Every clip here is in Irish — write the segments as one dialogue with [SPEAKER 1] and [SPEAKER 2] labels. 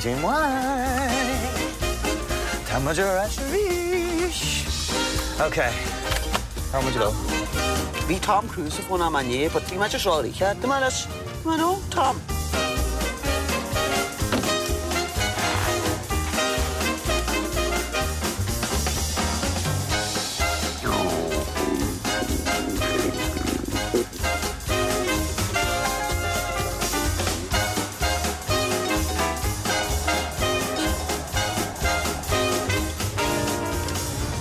[SPEAKER 1] Cad é mar tá muid ar ais arís. Ok, cá muid ag dul?
[SPEAKER 2] Bhí Tom Cruise ag fónamh inné but bhí mé just rá oíche, do mé leis, I know, Tom.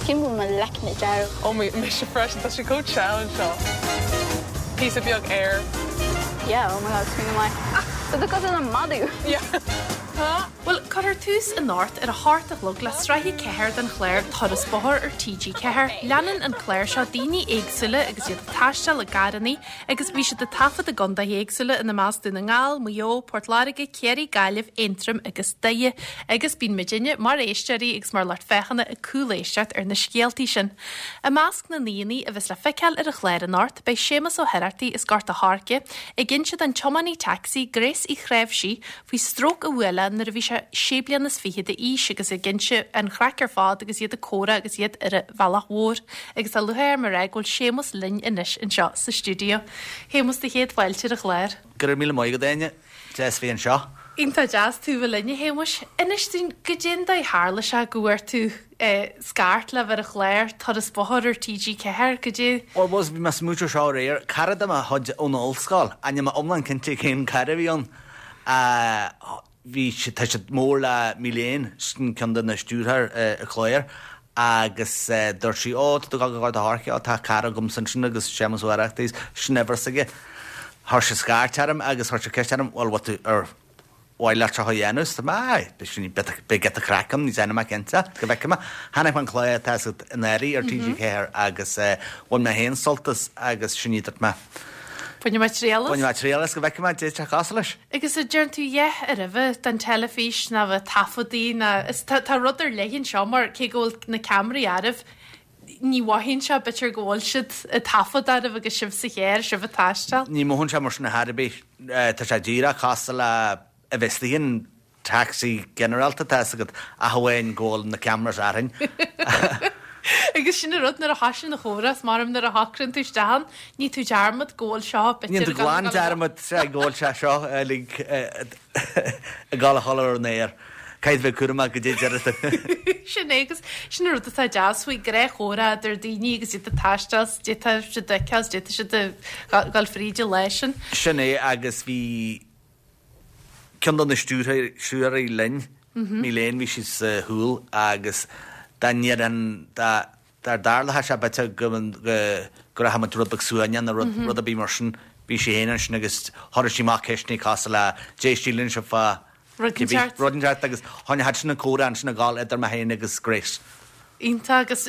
[SPEAKER 3] Cím go bhfuil mo leicne dearg.
[SPEAKER 4] Ó mise freisin, tá sé chomh teann seo. Píosa beag air.
[SPEAKER 3] Yeah, oh my god, smaoineamh maith. Tá tú cosúil le madadh!
[SPEAKER 4] Yeah.
[SPEAKER 5] Bhuel, cuirfear tús anocht ar a hocht a chlog le sraith 4 den chlár Turas Bóthair ar TG4. Leanann an clár seo daoine éagsúla agus iad ag taisteal i gcarrannaí agus bhí siad ag taifead i gcontaetha éagsúla ina measc Dún na nGall, Maigh Eo, Port Láirge, Ciarraí, Gaillimh, Aontroim agus Doire. Agus bíonn muidinne, mar éisteoirí agus mar lucht féachana, ag cúléisteacht ar na scéaltaí sin. I measc na n-aíonna a bheas le feiceáil ar an chlár anocht beidh Séamus Ó hOireachtaigh as Gort a' Choirce ag inse don tiománaí tacsaí Grace Uí Chnáimhsí faoi stróc a bhuail é nuair a bhí sé sé bliana is fiche d'aois agus ag inse an chraic ar fad agus iad ag comhrá agus iad ar an bhealach mhór. Agus tá lúcháir orm a rá go bhfuil Séamus linn anois anseo sa stiúideo. Shéamus, do chéad fáilte ar an chlár.
[SPEAKER 6] Go raibh míle maith agat, Áine. Deas bheith anseo.
[SPEAKER 5] Iontach deas tú bheith linn, a Shéamuis. Inis dúinn, goidé an dóigh tharla sé go bhfuair tú scairt le bheith ar an chlár Turas Bóthair ar TG4, goidé.
[SPEAKER 6] Bhuel, bhí mé ag smaointiú seo aréir. Cara de mo chuid ón ollscoil, ach níl mé iomlán cinnte cén cara a bhí ann, bhí siad, tá siad mór le Milène, sin ceann de na stiúrthóir an chláir, agus dúirt sí, ó, tá tú ag dul go Gort a' Choirce, ó, tá cara agamsa ansin agus Séamus Ó hOireachtaigh, sin uimhir s'aige. Chuir sé scairt orm agus chuir sé ceist orm, bhuel, bhfuil tú ar mhaith leat seo a dhéanamh? Is mé, aye, beidh sin, beidh giota craic ann, níl mé cinnte, go bhfeicfidh mé. Chonaic mé an clár tá siad in áirithe ar TG4 agus bhain mé féin sult as agus sin í, dúirt mé.
[SPEAKER 5] Bainfidh mé triail
[SPEAKER 6] as. Bainfidh mé triail as go bhfeicfidh mé goidé atá cosúil leis.
[SPEAKER 5] Agus a deireann tú a dhath ar bith den teilifís ná bheith taifeadtaí ná is tá tá rud ar leith anseo mar cé go bhfuil na ceamaraí oraibh ní mhothaíonn sé b'fhéidir go bhfuil siad ag taifead oraibh agus sibh sa charr, sibh ag taisteal.
[SPEAKER 6] Ní mhothaíonn sé mar sin ar chor ar bith. Tá sé díreach cosúil le a bheith istigh in taxi ginearálta, tá fhios agat, ach amháin go bhfuil na cameras orainn.
[SPEAKER 5] Agus sin an rud, nuair a thosaíonn an chomhrá, is maith liom nuair a shocraíonn tú isteach ann, ní tú dearmad go bhfuil seo
[SPEAKER 6] b'fhéidir Ní tú glan dearmad go bhfuil sé seo uilig ag dul a chodladh ar an aer. Caithfidh bheith cúramach goidé a deir tú.
[SPEAKER 5] Sin é agus sin an rud atá deas faoi gnáthchomhrá idir daoine agus iad ag taisteal 's d'fhéadfadh siad a fheiceáil 's d'fhéadfadh siad a dhul fríd an lá sin.
[SPEAKER 6] Sin é agus bhí ceann de na stiúrthóirí linn, Milène, bhí sí sa chúl agus dá ndéarfainn, dá dtarlódh sé b'fhéidir go go rachadh muid rud beag suaimhneach nó rud rud ar bith mar sin, bhí sí féin ansin agus chuireadh sí amach ceisteanna cosúil le goidé a síleann sibh fá
[SPEAKER 5] Rud inteacht.
[SPEAKER 6] Rud inteacht agus choinnigh sin an comhrá ansin ag gabháil idir mé féin agus Grace.
[SPEAKER 5] Iontach agus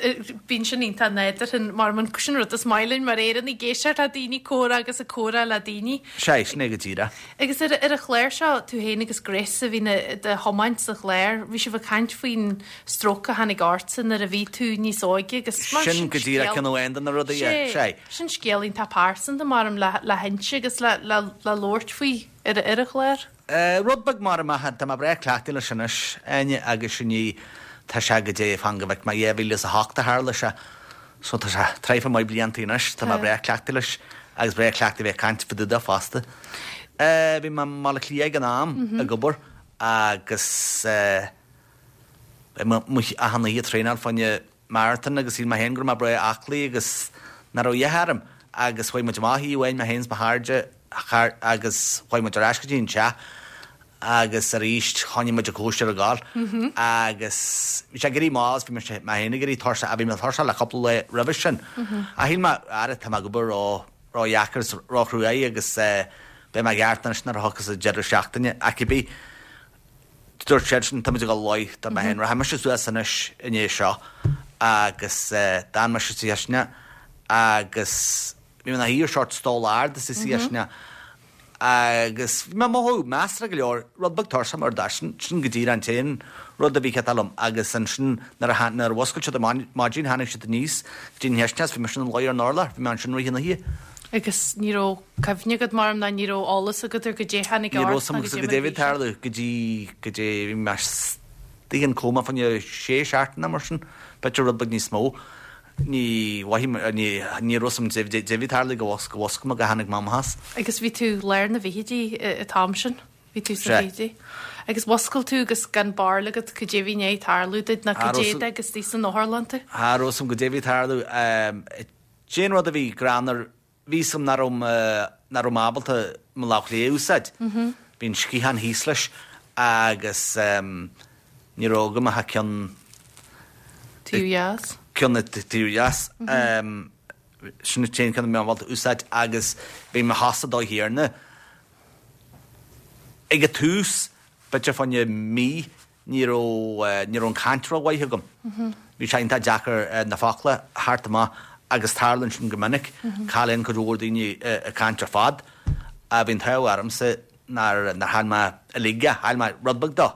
[SPEAKER 5] bíonn sin iontach nádúrtha mar sin rud is maith linn mar Éireannaigh ag éisteacht le daoine ag comhrá agus ag comhrá le daoine.
[SPEAKER 6] Sea, sin é go díreach.
[SPEAKER 5] Agus ar ar an chlár seo, tú féin agus Grace a bhíonn i do thiomáint sa chlár, bhí sibh ag caint faoin stróc a tháinig ortsa nuair a bhí tú níos óige agus
[SPEAKER 6] mar sin Sin go díreach ceann amháin de na rudaí,
[SPEAKER 5] yeah. Sea. Sin scéal iontach pearsanta maram le le hinse agus le le le labhairt faoi ar ar an chlár.
[SPEAKER 6] Rud beag mar amach, tá mé breá cleachtaithe leis anois, Áine, agus sin í, tá sé goidé, fan go bhfeic mé, 2008 a tharla sé, so tá sé traidhfil maith blianta anois, tá mé breá cleachtaithe leis agus breá cleachtaithe bheith ag caint fá dtaobh de fosta. Bhí mé i mBaile Átha Cliath ag an am ag obair agus bhí mé achan oíche ag traenáil fá choinne marathon agus shíl mé féin go raibh mé breá aclaí agus nach raibh a dhath orm agus chuaigh muid amach oíche amháin, mé féin is mo chairde agus chuaigh muid ar ais go dtí an teach agus arís choinnigh muid an cóisir ag gabháil agus bhí sé ag éirí mall is bhí mé féin ag éirí tuirseach, bhí mé tuirseach le cúpla lá roimhe sin ach shíl mé ara tá mé ag obair ró ró-dheacair is ró-chruaidh agus beidh mé i gceart anois nuair a thiocfas an deireadh seachtaine ach cibé Dúirt siadsan, Tá muid ag dul a luí, dúirt mé féin, rachaidh mise suas anois i ndiaidh seo agus d'fhan mise sa chisteanach agus bhí mé ina shuí ar short stól ard sa chisteanach agus bhí mé ag mothú measartha go leor, rud beag tuirseach mar sin, sin go díreach an t-aon rud a bhí ceart liom agus ansin nuair a nuair a mhuscail siad ar maidin tháinig siad aníos go dtí an chisteanach is bhí mise ina luí ar an urlár, bhí mé ansin i rith an oíche.
[SPEAKER 5] Agus ní raibh cuimhne agat mar ná ní raibh eolas agat ar goidé tháinig
[SPEAKER 6] Ní raibh
[SPEAKER 5] ort
[SPEAKER 6] 'fhios a'm
[SPEAKER 5] ná goidé
[SPEAKER 6] goidé
[SPEAKER 5] mar
[SPEAKER 6] a
[SPEAKER 5] a
[SPEAKER 6] bhí
[SPEAKER 5] bhí
[SPEAKER 6] ag
[SPEAKER 5] sé.
[SPEAKER 6] tarlú go dtí goidé bhí mé istigh in coma fá choinne sé seachtaine mar sin, b'fhéidir rud beag níos mó. Ní mhothaigh mé, ní, ní raibh 'fhios a'm goidé a bhí ag tarlú go bhfosc, go bhfoscail mé go tháinig mé amach as.
[SPEAKER 5] Agus bhí tú lár na bhfichidí an t-am sin, bhí tú sna
[SPEAKER 6] Sea.
[SPEAKER 5] fichidí. Agus mhuscail tú agus gan barúil agat goidé a bhí i ndiaidh tarlú duit ná
[SPEAKER 6] Cha
[SPEAKER 5] goidé
[SPEAKER 6] raibh
[SPEAKER 5] de agus istigh san otharlann tú.
[SPEAKER 6] Cha raibh 'fhios a'm goidé a bhí ag tarlú. Cén rud a bhí greannmhar, bhí 'fhios a'm nach raibh nach raibh mé ábalta mo lámh chlé a úsáid. Bhí an sciathán thíos leis agus ní raibh agam ach ceann
[SPEAKER 5] Taobh dheas.
[SPEAKER 6] ceann an taobh dheas. Sin an t-aon cheann a bhí mé ábalta a úsáid agus bhí mo chosa dóigh chéanna. Ag an tús, b'fhéidir fá choinne mí, Ní raibh, ní raibh an chaint rómhaith agam. Bhí sé iontach deacair na focla a theacht amach agus tarlaíonn sin go minic. Cailleann cuid mhór daoine a gcaint ar fad. Bhí an t-ádh ormsa nár, nár chaill mé uilig é, chaill mé rud beag dó.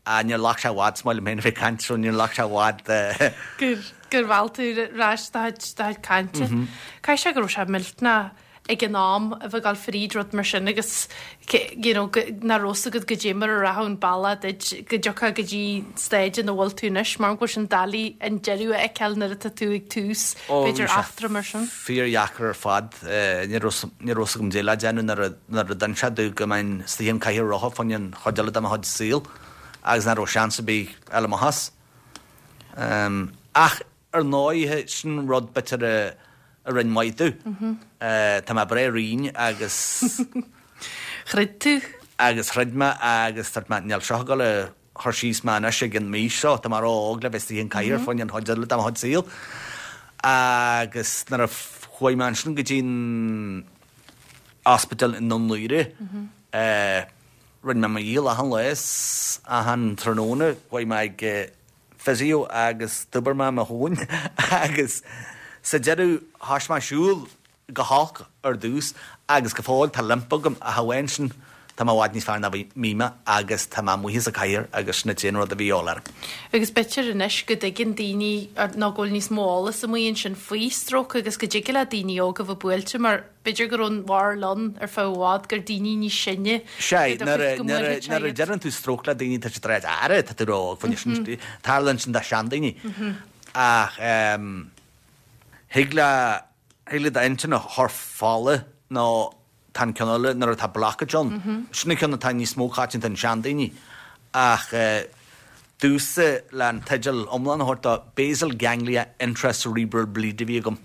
[SPEAKER 6] Níor ghlac sé i bhfad, is maith liom féin a bheith ag caint so níor ghlac sé i bhfad.
[SPEAKER 5] Gur, gur mheall tú ar ais do chuid, do chuid cainte. Caithfidh sé go raibh sé millteanach ag an am a bheith ag dul fríd rud mar sin agus you know nach raibh 'fhios agat goidé mar a rachadh an bealach duit go dtiocfá go dtí staid ina bhfuil tú anois mar go bhfuil sin doiligh an deireadh a fheiceáil nuair atá tú ag tús
[SPEAKER 6] Ó bhí
[SPEAKER 5] b'fhéidir
[SPEAKER 6] sé
[SPEAKER 5] eachtra mar sin.
[SPEAKER 6] fíordheacair ar fad. Ní raibh ní raibh 'fhios agam goidé le déanamh nuair a nuair a d'inis sé domh go mbeinn istigh im chathaoir rotha fá choinne an chuid eile de mo chuid saoil agus nach raibh seans ar bith eile amach as. Ach Ar ndóighe, sin rud b'fhéidir a rinn maith domh. Tá mé breá righin agus.
[SPEAKER 5] Throid tú.
[SPEAKER 6] Agus throid mé agus dúirt mé, níl seo ag dul a chur síos mé anois ag an m'aois seo, tá mé ró-óg le bheith istigh in cathaoir fá choinne an chuid eile de mo chuid saoil. Agus nuair a chuaigh mé ansin go dtí an ospidéal i nDún Laoghaire, rinne mé mo dhícheall achan lá is achan tráthnóna, chuaigh mé ag physio agus d'oibir mé mo thóin agus sa deireadh thoisigh mé siúl go holc ar dtús agus go fóill tá limp agam ach amháin sin tá mé i bhfad níos fearr ná bhí mé agus tá mé amuigh as an cathaoir agus sin an t-aon rud a bhí a dhíobháil orm.
[SPEAKER 5] Agus b'fhéidir anois go dtuigeann daoine nó go bhfuil níos mó eolas amuigh ansin faoi stróc agus go dtig le daoine óga a bheith buailte mar B'fhéidir go raibh an bharúil ann ar feadh i bhfad gur daoine níos sine
[SPEAKER 6] Sea, nuair a, nuair a, nuair a deireann tú stróc le daoine tá siad ag rá ara, tá tú ró-óg fá choinne sin, tarlaíonn sin do sheandaoine. Ach thig le, thig le d'intinn a chur fola nó tá an ceann eile nuair atá blockage ann, sin an ceann atá níos mó coitianta in seandaoine. Ach domhsa le an teideal iomlán a thabhairt dó, Basal Ganglia Intracerebral Bleed a bhí agam.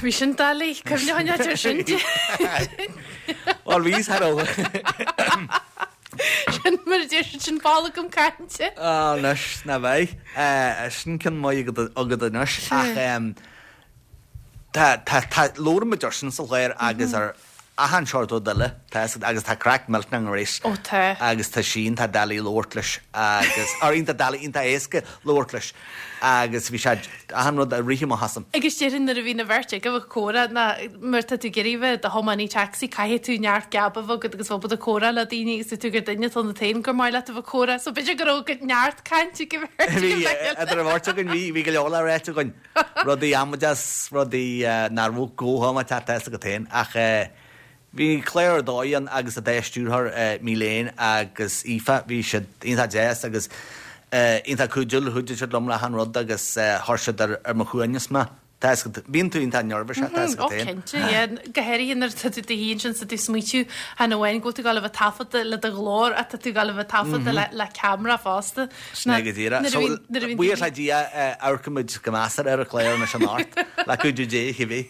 [SPEAKER 5] Bhí sin doiligh, cuimhne a choinneáil air sin.
[SPEAKER 6] Bhuel, bhí thar a.
[SPEAKER 5] Sin mar a deir siad sin bolgam cainte.
[SPEAKER 6] Á, anois, ná beidh. Sin ceann maith agat anois. Ach Tá, tá, tá, labhraíonn muid air sin sa chlár agus ar achan seort rud eile, tá fhios agat, agus tá craic millteanach i nGrace.
[SPEAKER 5] Ó tá.
[SPEAKER 6] Agus tá sí iontach doiligh labhairt leis agus, or iontach doiligh, iontach éasca labhairt leis agus bhí sé, achan rud ag rith amach asam.
[SPEAKER 5] Agus déarfainn nuair a bhíonn an bheirt agaibh ag comhrá ná mar tá tú ag iarraidh bheith i do thiománaí taxi caithfidh tú neart geab a bheith agat agus bheith ábalta comhrá le daoine agus tá tú gur duine atá ionat féin gur maith leat a bheith ag comhrá so b'fhéidir go raibh neart cainte ag an bheirt
[SPEAKER 6] Bhí, idir an bheirt againn, bhí, bhí go leor le ráit againn. Rudaí amaideach 's rudaí nach raibh go hamaideach tá fhios agat féin. Ach bhí clár ar dóigh ann agus an dá stiúrthóir Milène agus Aoife, bhí siad iontach deas agus iontach cuidiúil, chuidigh siad liom le achan rud agus chuir siad ar mo shuaimhneas mé. Tá fhios agat, bíonn tú iontach neirbhíseach, tá fhios
[SPEAKER 5] Ó
[SPEAKER 6] agat féin.
[SPEAKER 5] cinnte, yeah. Go háirithe nuair atá tú i do shuí ansin 's tú ag smaoitiú chan amháin go bhfuil tú ag dul a bheith taifeadta le do ghlór ach tá tú ag dul a bheith taifeadta le ceamara fosta.
[SPEAKER 6] Sin é go díreach. So, buíochas le Dia, amharcaimid go measartha ar an chlár anois anocht, le cuidiú Dé, cibé.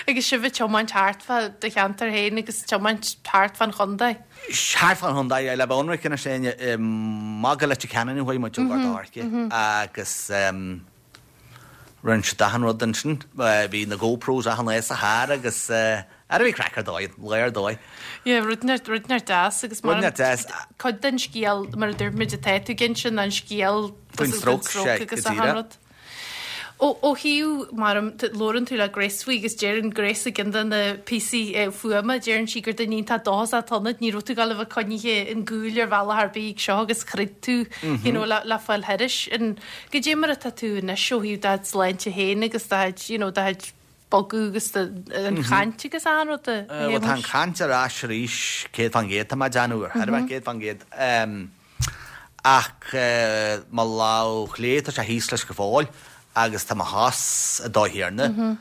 [SPEAKER 5] Agus sibh ag tiomáint thart fá do cheantar féin agus tiomáint thart fán chontae?
[SPEAKER 6] Thart fán chontae, le bheith ionraic anois, amach go Leitir Ceanainn a chuaigh muid ó Ghort an Choirce agus Rinne siad achan rud ansin. Bhí na GoPros achan lá sa charr agus ara bhí craic ar dóigh, lá ar dóigh.
[SPEAKER 5] Yeah, rud inteacht, rud inteacht deas agus mar
[SPEAKER 6] Rud inteacht deas.
[SPEAKER 5] cuid den scéal mar a dúirt muid atá tú ag inse ná an scéal
[SPEAKER 6] Faoin stróc, sea, go
[SPEAKER 5] agus achan
[SPEAKER 6] díreach.
[SPEAKER 5] rud. Ó, ó thaobh, mar labhrann tú le Grace faoi agus deireann Grace i gceann de na píosaí fuaime, deireann sí gur duine iontach dóchasach atá ionat, ní raibh tú ag dul a bheith coinnithe in gcúl ar bhealach ar bith ag seo agus throid tú, you know, le, le fáil thairis. An, Goidé mar atá tú anois ó thaobh do sláinte féin agus do chuid, you know, do chuid bogadh agus an chaint agus achan rud a
[SPEAKER 6] Bhuel tá an chaint ar ais arís 100% tá mé ag déanamh ar chor ar bith 100%. Ach mo lámh chlé tá sé thíos leis go fóill agus tá mo chos an dóigh chéanna.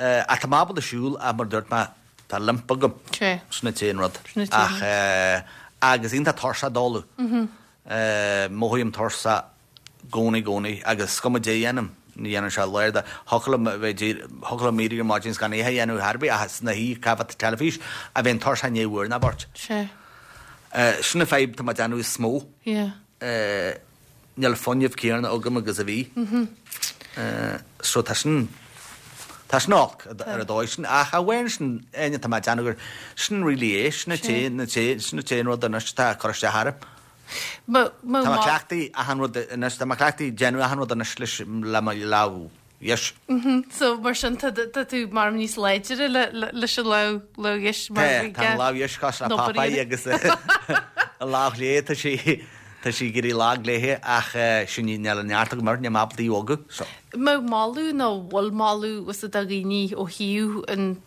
[SPEAKER 6] Ach tá mé ábalta siúl ach mar a dúirt mé tá limp agam. Sin an t-aon rud. Ach agus iontach tuirseach dóladh. Mothaím tuirseach gcónaí gcónaí agus is cuma goidé a dhéanaim, ní dhéanann sé léir de. Thiocfadh liom a bheith díreach, thiocfadh liom éirí ar maidin is gan a dhath a dhéanamh ar bith ach is ina shuí ag féachaint teilifís a bheinn tuirseach i ndiaidh uair nó beirt.
[SPEAKER 5] Sea.
[SPEAKER 6] Sin an fadhb tá mé ag déanamh is mó.
[SPEAKER 5] Yeah.
[SPEAKER 6] Níl an fuinneamh céanna agam agus a bhí. So tá sin, tá sin olc ar an dóigh sin ach amháin sin, Áine, tá mé ag déanamh gur sin really é, sin an t-aon, sin an t-aon rud anois atá ag cur isteach orm.
[SPEAKER 5] Tá
[SPEAKER 6] mé cleachtaithe achan rud anois, tá mé cleachtaithe déanamh achan rud anois leis le mo lámh dheis.
[SPEAKER 5] So mar sin tá tú mar níos láidre leis an lámh dheis
[SPEAKER 6] mar Tá, tá an lámh dheis cosúil le Popeye agus an lámh chlé tá sí tá sí ag éirí lag léithe ach sin í níl an neart agam uirthi, níl mé ábalta í a bhogadh so.
[SPEAKER 5] Mbeadh moladh nó bhfuil moladh usa do dhaoine ó thaobh an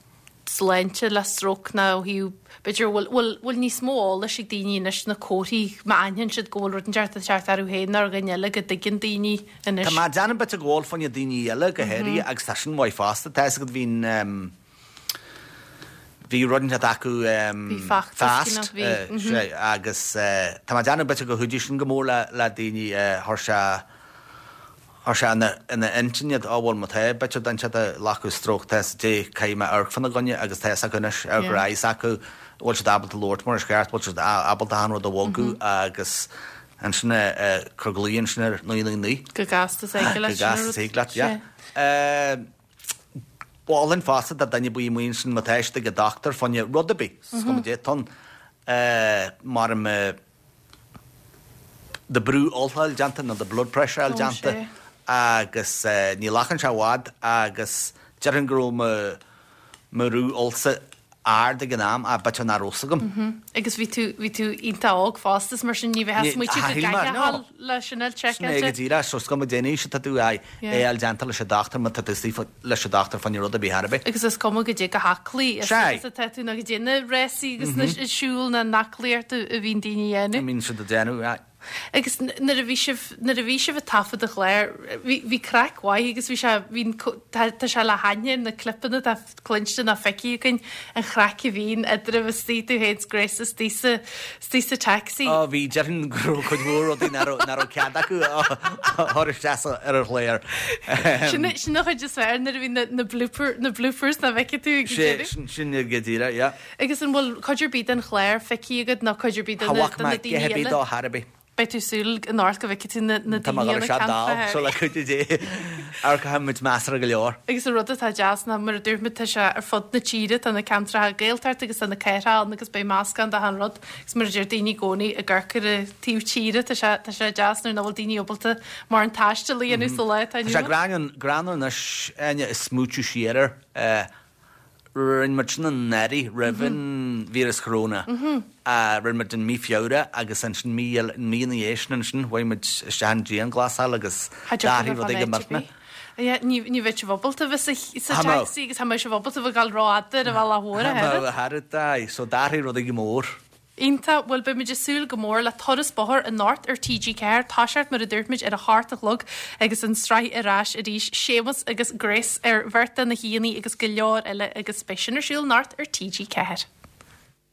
[SPEAKER 5] sláinte le stróc nó ó thaobh, b'fhéidir, bhfuil, bhfuil, bhfuil níos mó eolais ag daoine anois na comharthaí má aithníonn siad go bhfuil rud inteacht ag teacht orthu féin nó ar dhuine eile go dtuigeann daoine anois.
[SPEAKER 6] Tá mé ag déanamh bit ag gabháil fá choinne daoine eile go háirithe agus tá sin maith fosta. Tá fhios agat bhí an ehm bhí rud inteacht acu ehm
[SPEAKER 5] Bhí feachtas
[SPEAKER 6] Fast bhí eh agus eh tá mé ag déanamh bit ag chuidiú sin go mór le le daoine eh chuir sé Chuir sé ina intinn iad, á bhuel má tá bit duine inteacht ag glacadh stróc tá fhios goidé caithfidh mé amharc fána gcoinne agus tá fhios acu anois ar go raibh fhios acu bhfuil siad ábalta labhairt mar is ceart, bhfuil siad ábalta achan rud a bhogadh agus ansin cur glao ansin ar 999.
[SPEAKER 5] Go gasta is thig leat.
[SPEAKER 6] Go gasta is thig leat, yeah. Mholfainn fosta do duine ar bith amuigh ansin má tá siad ag an dochtúir fá choinne rud ar bith, is cuma goidé atá ann, mar do brú fholach a fháil déanta nó do blood pressure a fháil déanta agus ní ghlacann sé i bhfad agus déarfainn go raibh mo mo bhrú fholsa ard ag an am ach b'fhéidir nach raibh fhios agam.
[SPEAKER 5] Agus bhí tú bhí tú iontach óg fosta is mar sin ní bheifeá ag smaoitiú go gcaithfeá a dhul le sin a fháil
[SPEAKER 6] Sin é go
[SPEAKER 5] seiceáilte.
[SPEAKER 6] díreach so is cuma cén aois atá tú é a fháil déanta leis an dochtúir má tá tú istigh leis an dochtúir fá choinne rud ar bith ar bith.
[SPEAKER 5] Agus is cuma goidé chomh haclaí is atá tú nó goidé na rásaí agus na siúl nó an aclaíocht a bhíonn daoine a dhéanamh.
[SPEAKER 6] A mbíonn siad a déanamh, aye.
[SPEAKER 5] Agus nuair a bhí sibh, nuair a bhí sibh ag taifead an chláir, bhí, bhí craic mhaith agus bhí sé, bhí an, tá, tá sé le haithne ar na clipeanna atá cluinste nó feicthe againn, an chraic a bhíonn eadraibh istigh, tú féin 's Grace istigh sa, istigh sa taxi.
[SPEAKER 6] Ó bhí, déarfainn go raibh cuid mhór rudaí nach raibh, nach raibh cead acu a chur isteach sa, ar an chlár.
[SPEAKER 5] Sin, sin an chuid is fearr nuair a bhí na, na blooper, na bloopers nach bhfeicfidh tú ag an
[SPEAKER 6] Sé,
[SPEAKER 5] deireadh.
[SPEAKER 6] sin, sin go díreach, yeah.
[SPEAKER 5] Agus an bhfuil cuid ar bith den chlár feicthe agat nó cuid ar bith de
[SPEAKER 6] Cha
[SPEAKER 5] na,
[SPEAKER 6] bhfaca
[SPEAKER 5] de na
[SPEAKER 6] mé
[SPEAKER 5] daoine
[SPEAKER 6] a dhath ar bith
[SPEAKER 5] eile?
[SPEAKER 6] dó chor ar bith.
[SPEAKER 5] Beidh tú ag súil anocht go bhfeicfidh tú na
[SPEAKER 6] Tá mé
[SPEAKER 5] daoine
[SPEAKER 6] ag
[SPEAKER 5] ann
[SPEAKER 6] dul
[SPEAKER 5] ag
[SPEAKER 6] isteach
[SPEAKER 5] caint
[SPEAKER 6] dall,
[SPEAKER 5] fá
[SPEAKER 6] so le cuidiú Dé, amharcfaidh muid measartha go leor.
[SPEAKER 5] Agus an rud atá deas ná, mar a dúirt muid, tá sé ar fud na tíre, tá na ceantracha Gaeltachta agus tá na cathracha ann agus beidh meascán de achan rud. Agus mar a deir daoine i gcónaí, ag amharc ar an taobh tíre, tá sé, tá sé deas nuair nach bhfuil daoine ábalta mórán taistil a dhéanamh sa lá atá
[SPEAKER 6] Tá
[SPEAKER 5] inniu
[SPEAKER 6] sé
[SPEAKER 5] ann.
[SPEAKER 6] greannmhar anois, Áine, ag smaoitiú siar air. Rinne muid sin anuraidh roimh an víreas choróna. Rinne muid in mí Feabhra agus ansin mí eile, mí ina dhiaidh sin ansin chuaigh muid isteach in dianghlasáil agus d'athraigh rudaí go millteanach.
[SPEAKER 5] Yeah, ní ní bheadh sibh ábalta bheith sa sa taxi agus cha mbeadh sibh ábalta bheith ag dul rófhada ar an bhealach mhór a
[SPEAKER 6] thairbhe. Cha mbeadh, aye, so d'athraigh rudaí go mór.
[SPEAKER 5] Iontach, bhuel beidh muid ag súil go mór le Turas Bóthair anocht ar TG4, toiseacht mar a dúirt muid ar a hocht a chlog agus an tsraith ar ais arís, Séamus agus Grace ar bheirt de na haíonna agus go leor eile agus beidh sin ar siúl anocht ar TG4.